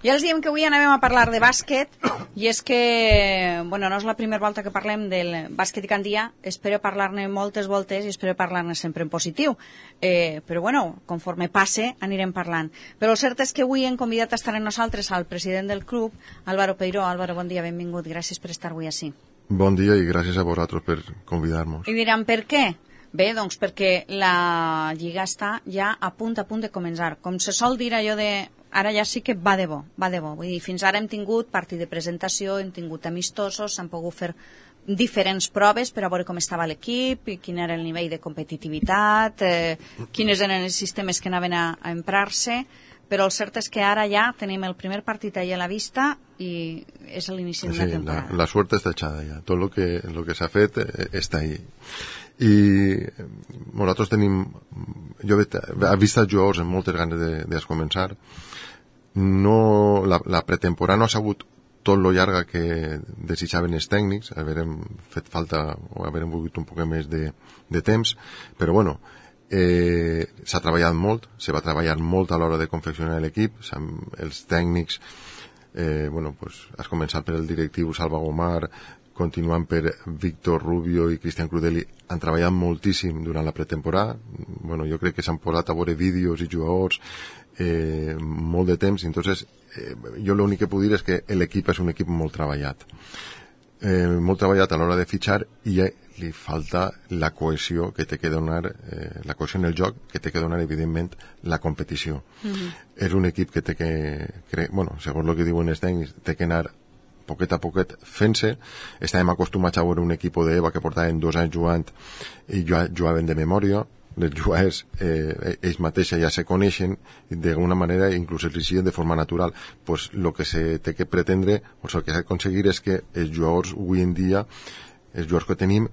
Ja els diem que avui anem a parlar de bàsquet i és que, bueno, no és la primera volta que parlem del bàsquet i Gandia, espero parlar-ne moltes voltes i espero parlar-ne sempre en positiu, però bueno, conforme passe anirem parlant. Però el cert és que avui hem convidat a estar amb nosaltres al president del club, Álvaro Peiró. Álvaro, bon dia, benvingut, gràcies per estar avui així. Bon dia i gràcies a vosaltres per convidar-nos. I diran, per què? Bé, doncs perquè la Lliga està ja a punt de començar. Com se sol dir allò de... Ara ja sí que va de bo. Vull dir, fins ara hem tingut partit de presentació, hem tingut amistosos, s'han pogut fer diferents proves per a veure com estava l'equip, quin era el nivell de competitivitat, quins eren els sistemes que anaven a emprar-se, però el cert és que ara ja tenim el primer partit allà a la vista i és l'inici d'una temporada. La suerte está echada ya. Todo lo que s'ha fet està ahí. I nosaltres tenim... Jo he vist els jugadors amb moltes ganes de començar. No, la pretemporada no ha sigut tot lo llarga que desitjaven els tècnics, haurem fet falta o haurem volgut un poc més de temps, però bueno, s'ha treballat molt, se va treballar molt a l'hora de confeccionar l'equip, els tècnics, bueno, pues, has començat per el directiu Salva Gomar, continuant per Víctor Rubio i Cristian Crudeli, han treballat moltíssim durant la pretemporada. Bueno, jo crec que s'han posat a veure vídeos i jugadors molt de temps, entonces jo l'únic que puc dir és que l'equip és un equip molt treballat a l'hora de fitxar i li falta la cohesió que té que donar la cohesió en el joc que té que donar evidentment la competició. És un equip que té que bueno, segons el que diuen els tècnics, té que anar poquet a poquet fent-se. Estàvem acostumats a veure un equip d'EVA que portaven 2 anys jugant i jugaven de memòria. Les jugadors ells mateixos ja se coneixen d'alguna manera, inclús els siguen de forma natural. Pues lo que se té que pretendre, o el que s'ha d'aconseguir és que els jugadors avui en dia, els jugadors que tenim,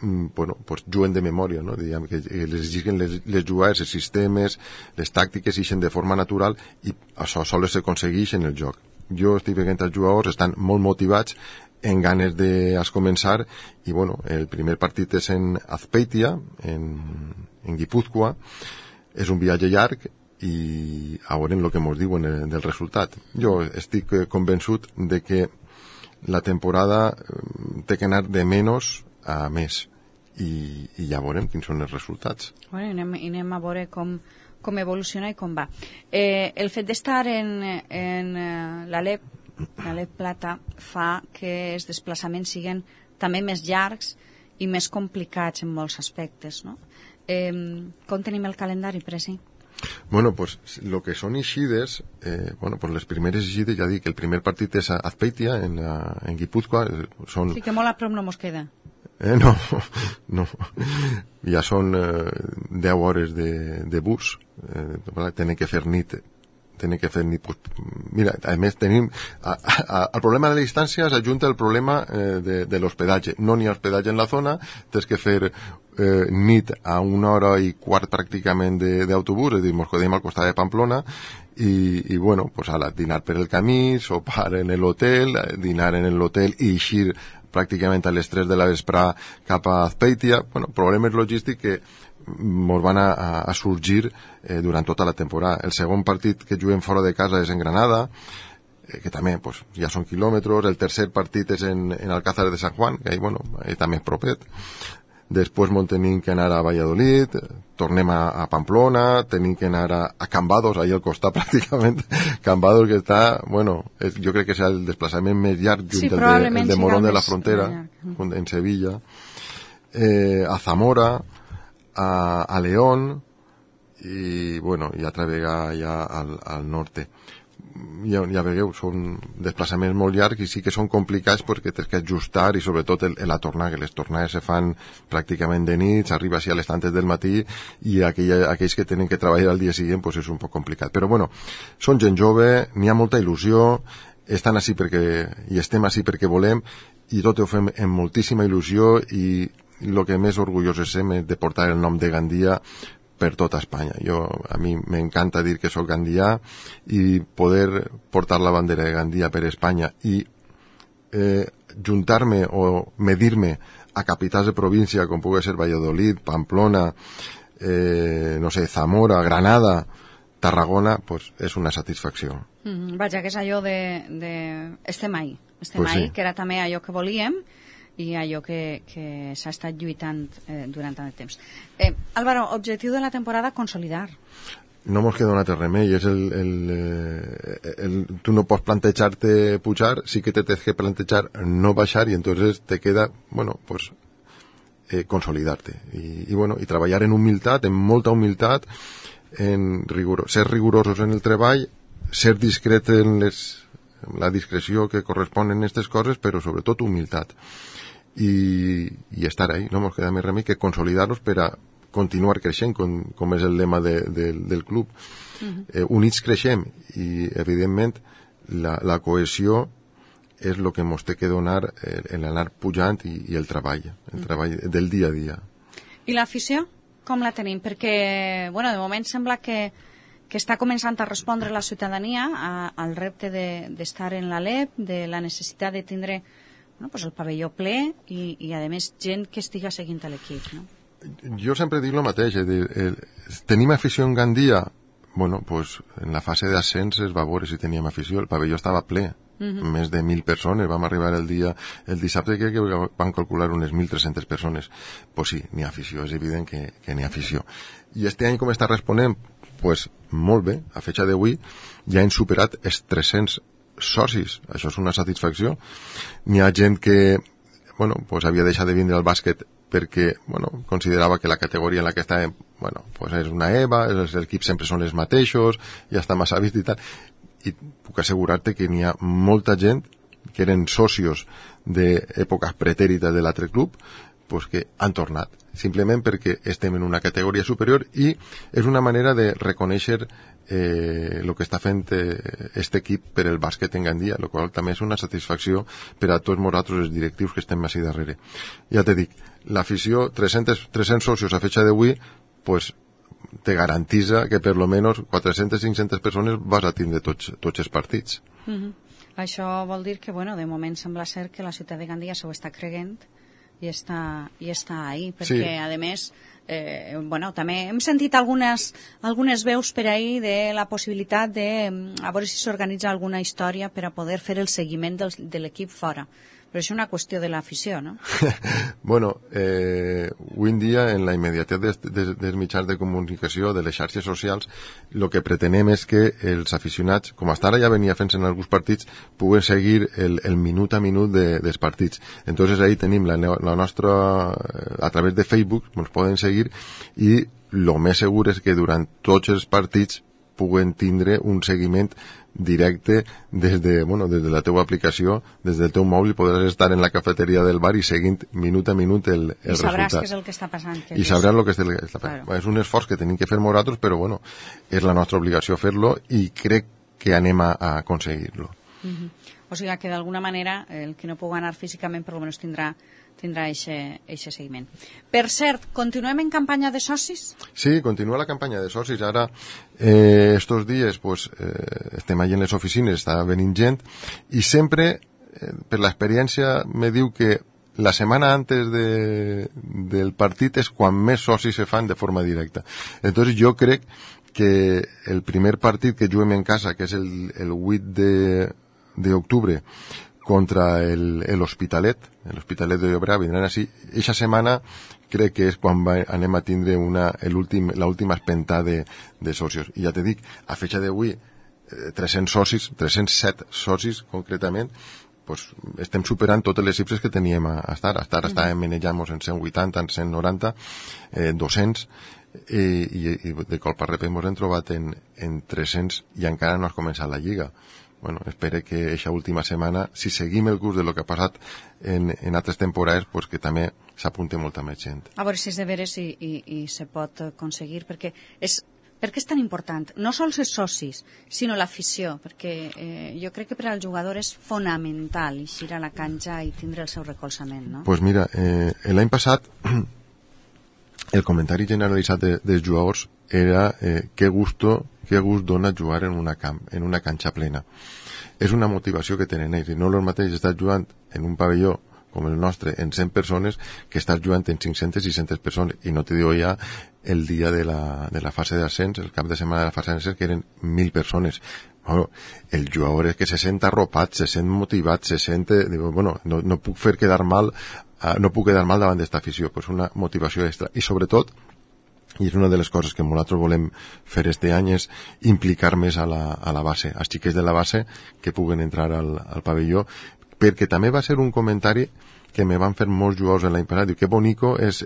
bueno, pues juguen de memòria, no? Diguem que les lliguen les jugades, els sistemes, les tàctiques ixen de forma natural i això sols s'aconsegueix en el joc. Jo estic veient els jugadors, estan molt motivats, en ganes de començar i bueno, el primer partit és en Azpeitia, en Guipúzcoa, és un viatge llarg i a veure el que ens diuen del resultat. Jo estic convençut de que la temporada té que anar de menys a més i ja veurem quins són els resultats. Bueno, anem a veure com evoluciona i com va. El fet d'estar en l'Alep Plata fa que els desplaçaments siguin també més llargs i més complicats en molts aspectes, no? Com tenim el calendari, Presi? Bueno, pues lo que son ixides, bueno, pues les primeres ixides, ja dic, el primer partit és a Azpeitia, en Guipúzcoa, són... Sí, que molt a prop no mos queda. No. Ja són 10 hores de bus, tenen que fer nit, pues, mira, a més tenim al problema de la distància s'ajunta el problema de l'hospedatge. No n'hi ha hospedatge en la zona, tens que fer nit a 1 hora i quart pràcticament d'autobús, és a dir, mos quedem al costat de Pamplona i bueno, pues ala, dinar per el camí, sopar en l'hotel, dinar en l'hotel i eixir pràcticament a les 3 de la vesprà cap a Azpeitia. Bueno, problemes logístics que ens van a sorgir durant tota la temporada. El segon partit que juguem fora de casa és en Granada, que també pues, ja són quilòmetres. El tercer partit és en Alcázar de San Juan, que bueno, també és propet. Després tenim que anar a Valladolid, tornem a Pamplona, tenim que anar a Cambados, ahí al costat pràcticament. Cambados que està, bueno, jo crec que és el desplaçament més llarg junt el de Morón de la Frontera, en Sevilla, a Zamora, a León i bueno, i altra vegada ja al norte. Ja veieu, són desplaçaments molt llargs i sí que són complicats perquè tens que ajustar i sobretot la tornada, que les tornades se fan pràcticament de nit, s'arriba així a les tantes del matí i aquells que tenen que treballar al dia següent pues és un poc complicat. Però bueno, són gent jove, n'hi ha molta il·lusió, estan així i estem així perquè volem i tot ho fem amb moltíssima il·lusió i el que més orgullosos estem és de portar el nom de Gandia per tota Espanya. A mi m'encanta dir que soc gandià i poder portar la bandera de Gandia per Espanya i juntar-me o medir-me a capitals de província com pugui ser Valladolid, Pamplona, no sé, Zamora, Granada, Tarragona, pues, és una satisfacció. Vaja, que és allò de estem ahí, Pues sí. que era també allò que volíem i allò que s'ha estat lluitant durant tant de temps. Álvaro, objectiu de la temporada, consolidar. No mos queda un altre remei, és tu no pots plantejar-te pujar, sí que te tens que plantejar no baixar y entonces te queda, bueno, pues consolidar-te y treballar en humilitat, en molta humilitat, ser rigurosos en el treball, ser discret en la discreció que correspon en aquestes coses, però sobretot humilitat i estar ahí. No ens queda més remei que consolidar-los per a continuar creixent, com és el lema del club. Units creixem i evidentment la cohesió és el que ens té que donar l'anar pujant i el treball del dia a dia. I l'afició? Com la tenim? Perquè, bueno, de moment sembla que està començant a respondre la ciutadania al repte d'estar en l'Alep, de la necessitat de tindre pues el pavelló ple i a més, gent que estiga seguint l'equip, no? Jo sempre dic el mateix, tenim afició en Gandia? Bueno, pues en la fase d'ascens es va veure si teníem afició, el pavelló estava ple, més de 1.000 persones, vam arribar el dissabte que van calcular unes 1.300 persones. Pues sí, n'hi ha afició, és evident que n'hi ha afició. I este any com està responent? Pues molt bé, a fecha d'avui ja hem superat els 300 socis, això és una satisfacció. N'hi ha gent que, bueno, pues havia deixat de vindre al bàsquet perquè, bueno, considerava que la categoria en la que estàvem, bueno, pues és una EVA, els equips sempre són els mateixos, ja està massa vist i tal, i puc assegurar-te que n'hi ha molta gent que eren socios d'èpoques pretèrites de l'altre club, pues que han tornat, simplement perquè estem en una categoria superior i és una manera de reconèixer el que està fent aquest equip per el bàsquet en Gandia, el qual també és una satisfacció per a tots nosaltres els directius que estem així darrere. Ja te dic, l'afició, 300 socios a fecha d'avui, pues te garantitza que per lo menos 400-500 persones vas a tindre tots els partits. Això vol dir que, bueno, de moment sembla ser que la ciutat de Gandia s'ho està creient i està ahí, perquè, sí. A més, bueno, també hem sentit algunes veus per ahí de la possibilitat de a veure si s'organitza alguna història per a poder fer el seguiment de l'equip fora. Però és una qüestió de l'afició, no? Bueno, avui en dia, en la immediatesa dels mitjans de comunicació, de les xarxes socials, el que pretenem és que els aficionats, com fins ara ja venia fent en alguns partits, puguen seguir el minut a minut dels partits. Entonces ahí tenim la nostra, a través de Facebook, ens poden seguir i el més segur és que durant tots els partits puguen tindre un seguiment directe des de la teua aplicació, des del teu mòbil, podràs estar en la cafeteria del bar i seguint minut a minut el resultat. I sabràs què és el que està passant. I sabràs el que està passant. Claro. És un esforç que tenim que fer nosaltres, però bueno, és la nostra obligació fer-lo i crec que anem a aconseguir-lo. O sigui que d'alguna manera el que no pugui anar físicament per almenys tindrà eixe seguiment. Per cert, continuem en campanya de socis? Sí, continua la campanya de socis. Ara, estos dies, pues, estem allà en les oficines, està venint gent, i sempre, per l'experiència, me diu que la setmana antes del partit és quan més socis se fan de forma directa. Entonces jo crec que el primer partit que juguem en casa, que és el 8 d'octubre, contra l'Hospitalet de Llobregat, vindran així. Eixa setmana crec que és quan anem a tindre l'última espentada de socios. I ja te dic, a fecha d'avui, 307 socis concretament, pues, estem superant totes les xifres que teníem a estar. Estàvem manejant-nos en 180, en 190, 200, i de colp a repent ens hem trobat en 300 i encara no has començat la lliga. Bueno, espero que aquesta última setmana, si seguim el curs de lo que ha passat en altres temporades, pues que també s'apunte molta més gent. A veure si és de veres i se pot aconseguir, perquè és tan important, no sols els socis, sinó l'afició, perquè jo crec que per al jugador és fonamental eixir a la canxa i tindre el seu recolzament, no? Pues mira, l'any passat el comentari generalitzat dels jugadors era que gust dona jugar en una canxa plena. És una motivació que tenen ells, i no el mateix estar jugant en un pavelló com el nostre en 100 persones que estàs jugant en 500-600 persones, i no te digo ja el dia de la fase d'ascens, el cap de setmana de la fase d'ascens, que eren 1.000 persones. Bueno, el jugador és que se sent arropat, se sent motivat, se sent, bueno, no puc fer quedar mal, no puc quedar mal davant d'esta afició, pues una motivació extra. I sobretot, i és una de les coses que nosaltres volem fer este any, és implicar més a la base, als xiquets de la base que puguen entrar al pavelló, perquè també va ser un comentari que me van fer molts jugadors l'any passat. Diu, que bonico és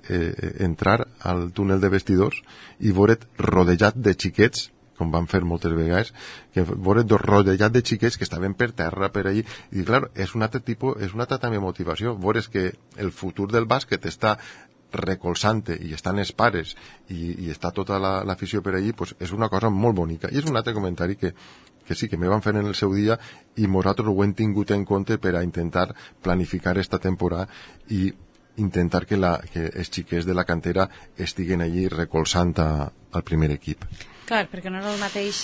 entrar al túnel de vestidors i veure't rodejat de xiquets, com van fer moltes vegades, que veure't rodejat de xiquets que estaven per terra, per allí, i clar, és un altre tipus, és una altra també motivació, veure's que el futur del bàsquet està recolzant-te i estan els pares i està tota l'afició per allí, pues és una cosa molt bonica. I és un altre comentari que sí, que me van fer en el seu dia i nosaltres ho hem tingut en compte per a intentar planificar esta temporada i intentar que els xiquets de la cantera estiguen allí recolzant al primer equip. Clar, perquè no és el mateix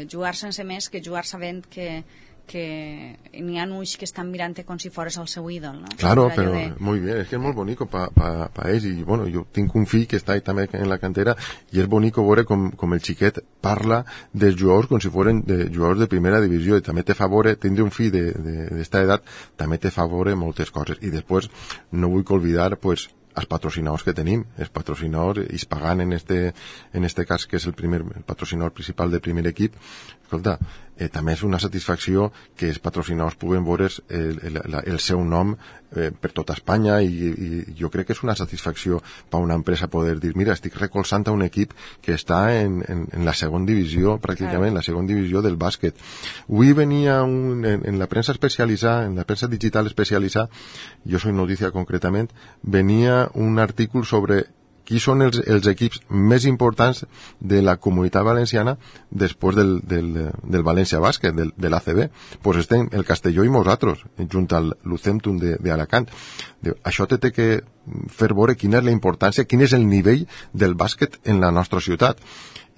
jugar sense més que jugar sabent que n'hi ha ulls que estan mirant com si fores el seu ídol, no? Claro, pero muy bien, es que es muy bonito pa ells, i bueno, jo tinc un fill que està també en la cantera i és bonico veure com el xiquet parla dels jugadors com si foren de jugadors de primera divisió, i també te favore, tindre un fill d'esta edat també te favore moltes coses. I després no vull oblidar pues els patrocinadors que tenim, els patrocinadors Hispagan en este cas, que és el patrocinador principal del primer equip. Escolta, també és una satisfacció que els patrocinadors puguen veure el seu nom per tota Espanya, i jo crec que és una satisfacció per una empresa poder dir, mira, estic recolzant a un equip que està en la segona divisió, pràcticament, la segona divisió del bàsquet. Avui venia en la premsa especialitzada, en la premsa digital especialitzada, jo soy Noticia concretament, venia un artícul sobre qui són els equips més importants de la comunitat valenciana després del València Bàsquet, de l'ACB. Pues estem el Castelló i nosaltres, junt al Lucentum d'Alacant. Això té que fer veure quina és la importància, quin és el nivell del bàsquet en la nostra ciutat.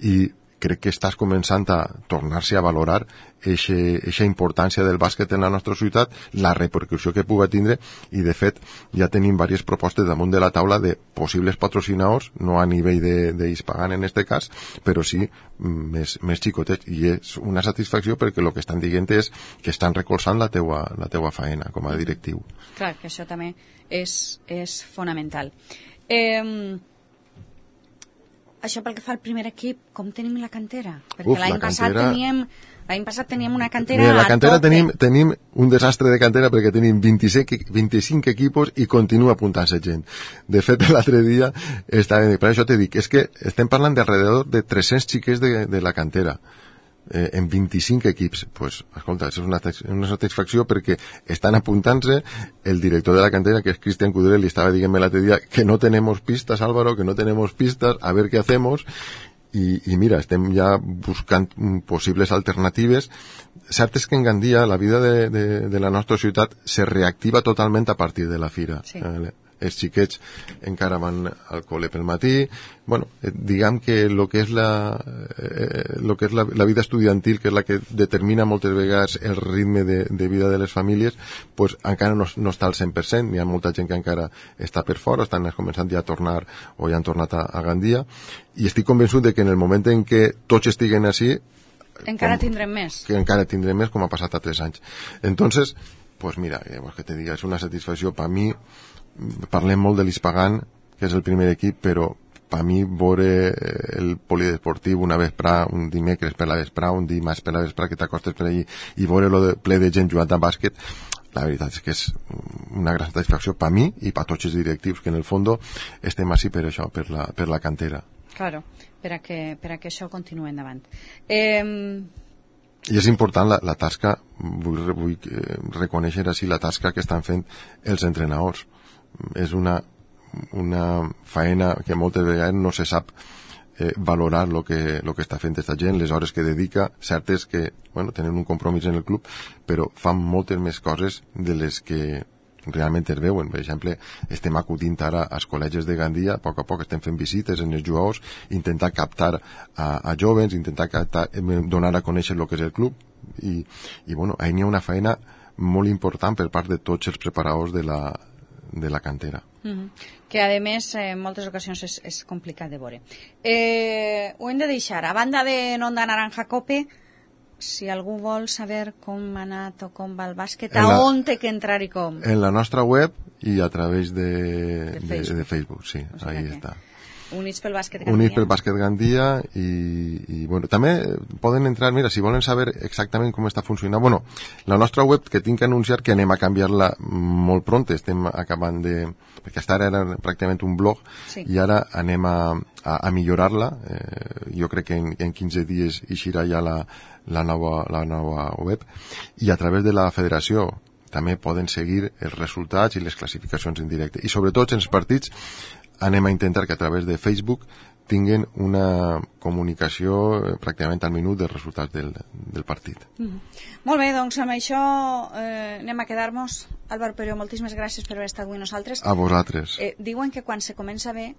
I crec que estàs començant a tornar-se a valorar eixa importància del bàsquet en la nostra ciutat, la repercussió que puga tindre, i de fet ja tenim diverses propostes damunt de la taula de possibles patrocinadors, no a nivell d'Hispagan en este cas, però sí més xicotets, i és una satisfacció perquè el que estan dient és que estan recolzant la teua faena com a directiu. Clar, que això també és fonamental. Això pel que fa al primer equip, com tenim la cantera? Perquè l'any passat teníem una cantera a cantera tenim un desastre de cantera perquè tenim 25 equipos i continua apuntant-se gent. De fet, l'altre dia, per això t'he dit, és que estem parlant d'alrededor de 300 xiquets de la cantera. En 25 equips, pues, escolta, és una satisfacció perquè estan apuntant-se. El director de la cantera, que es Cristian Cudrell, estava dient-me l'altre dia que no tenemos pistas, Álvaro, que no tenemos pistas, a ver qué hacemos. Y mira, estem ja buscant possibles alternatives. Cert és que en Gandia la vida de la nostra ciutat se reactiva totalment a partir de la fira. Sí. Els xiquets encara van al col·le pel matí. Bueno, diguem que el que és la vida estudiantil, que és la que determina moltes vegades el ritme de vida de les famílies, pues encara no està al 100%. Hi ha molta gent que encara està per fora, estan començant ja a tornar o ja han tornat a Gandia, i estic convençut de que en el moment en què tots estiguen així encara tindrem més. Que encara tindrem més, com ha passat a 3 anys. Entonces, pues mira, que te diga, és una satisfacció per mi. Parlem molt de l'Hispagan, que és el primer equip, però per mi veure el polideportiu una vesprà, un dimecres per la vesprà, un dimarts per la vesprà, que t'acostes per allí, i veure lo ple de gent jugant a bàsquet, la veritat és que és una gran satisfacció per mi i per tots els directius, que en el fons estem així per això, per la cantera. Claro, per a que això continuï endavant. I és important la tasca, vull reconèixer així la tasca que estan fent els entrenadors. És una faena que moltes vegades no se sap valorar lo que està fent aquesta gent, les hores que dedica. Cert és que tenen un compromís en el club, però fan moltes més coses de les que realment es veuen. Per exemple, estem acudint ara als col·legis de Gandia, a poc estem fent visites en els jugadors, intentar captar a jovens, intentar donar a conèixer el que és el club, i ahí n'hi ha una feina molt important per part de tots els preparadors de la cantera. Que a més en moltes ocasions és complicat de veure. Ho hem de deixar. A banda de Onda Naranja Cope, si algú vol saber com ha anat o com va el bàsquet, on té que entrar i com? En la nostra web i a través de Facebook, sí, o sigui, ahí està. Units pel Bàsquet Gandia. Units pel Bàsquet Gandia i bueno, també poden entrar, mira, si volen saber exactament com està funcionant, bueno, la nostra web, que tinc que anunciar que anem a canviar-la molt pront, estem acabant perquè fins ara era pràcticament un blog, sí. I ara anem a millorar-la, jo crec que en 15 dies eixirà ja la nova web, i a través de la federació també poden seguir els resultats i les classificacions en directe, i sobretot en els partits anem a intentar que a través de Facebook tinguen una comunicació pràcticament al minut dels resultats del partit. Molt bé, doncs amb això anem a quedar-nos. Álvaro Peiró, moltíssimes gràcies per haver estat avui nosaltres. A vosaltres. Diuen que quan se comença bé,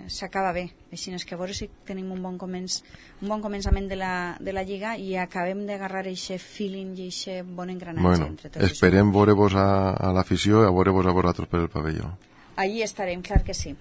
s'acaba bé. Així és que a veure si tenim un bon començament de la Lliga i acabem d'agarrar aquest feeling i aquest bon engranatge entre tots. Esperem veure-vos a l'afició i a veure-vos a vosaltres per el pavelló. Allí estarem, clar que sí.